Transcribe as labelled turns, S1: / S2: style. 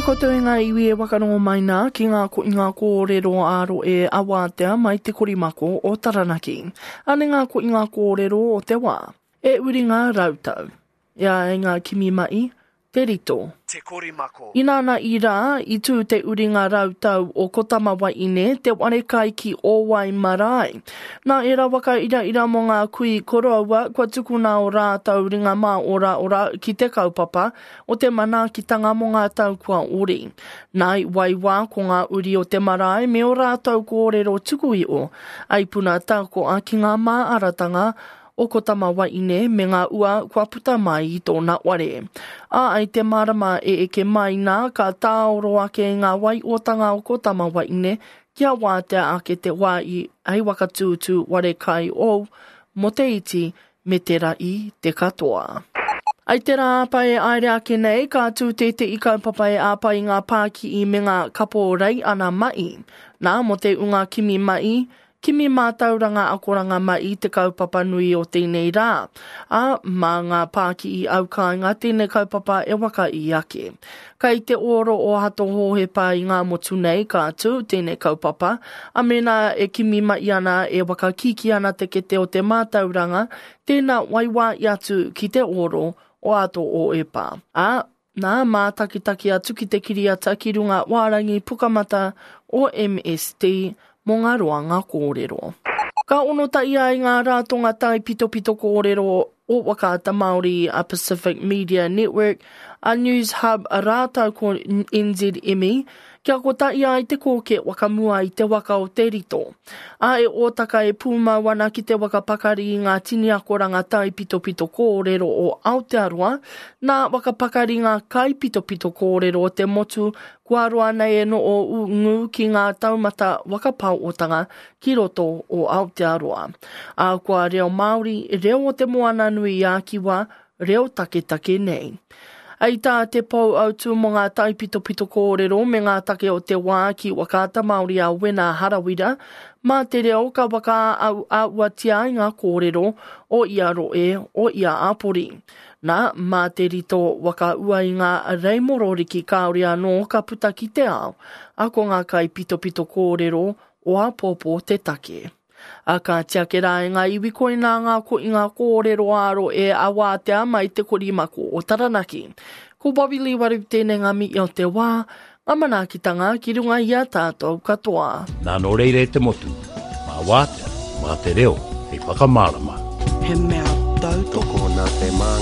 S1: koutou e ngā iwi e wakarongo mai nā ki ngā ko i ngā kōrero ā-roe a Wātea mai te korimako o Taranaki. Ane ngā ko i ngā kōrero o te wā. E uri ngā rautau. E ai ngā kimi ma'i, te rito.
S2: Te korimako.
S1: Inana i rā, i tū te uringa rautau o Ko Tamawaine, te wharekai ki Ōwai marae. Nā ērā waka iraira mō ngā kui koroua kua tukuna o rātou ringa māoraora ki te kaupapa o te manaakitanga mō ngā tau kua ori. Nā i waiwā ko ngā uri o te marae me ō rātou kōrero tuku iho, ai puna tākoa ki ngā māaratanga o Ko Tamawaine me ngā ua kua puta mai i tōna ware. Ā, i te marama e eke mai nā, ka tāoro ake i ngā waiotanga o Ko Tamawaine kia wātea ake te wā i hei waka tūtū ware kai ou mō te iti me te ra'i te katoa. I te rā āpa e aere ake nei, ka tū tēte'i kaupapa e āpa i ngā pāki'i me ngā kapo rei ana ma'i. Nā, mō te unga kimi ma'i, Kimi mātauranga akoranga mai i te kaupapa nui o tēnei rā, ā, mā ngā pāki'i aukāinga tēnei kaupapa e whakaī ake. Kai te oro o Hato Hōhepa i ngā motu nei ka tū tēnei kaupapa, ā, mēnā e kimi mai ana, e whakakīkī ana te kete o te mātauranga, tēnā waiwāi atu ki te oro o Hato Hōhepa. Ā, Nā, mātakitaki atu ki te kiriata ki runga wārangi pukamata o MSD mō ngā roanga kōrero. Ka onotaia ai ngā rātonga taipitopito kōrero o Whakaata Māori a Pacific Media Network, a Newshub rātou ko NZME kia kotahi ai te kōke whakamua i te waka o Te Rito. Ā, e ōtaka e pūmau ana ki te waka pakari i ngā tini akoranga taipitopito kōrero o Aotearoa, nā waka pakari ngā kaipitopito kōrero o te motu kua roa nei e noo ngū ki ngā taumata waka paootanga ki roto o Aotearoa. Ā, kua reo Māori, reo o Te Moana-nui-a-Kiwa, reo taketake nei. Hei tā te pou autū mō ngā taipitopito kōrero me ngā take o te wā ki Whakaata Māori a Wena Harawira, mā te reo ka whakaauatia ai ngā kōrero o ia rohe, o ia āpori. Nā, mā te rito whakaua i ngā reimororiki kāore anō ka puta ki te ao, a ko ngā kaipitopito kōrero o āpōpō te take. A ka tiake rā e ngā iwi koinā ngā koinga kōrero āro e awātea mai te korimako o Taranaki. Ko Bobby Lee Waru tēnei ngā mihi o te wā, ngā manaakitanga ki runga i a tātou katoa.
S3: Nā nō reira e te motu, mā wātea, mā te reo hei whakamārama.
S4: He mea tautoko.
S5: Tokona te māngai.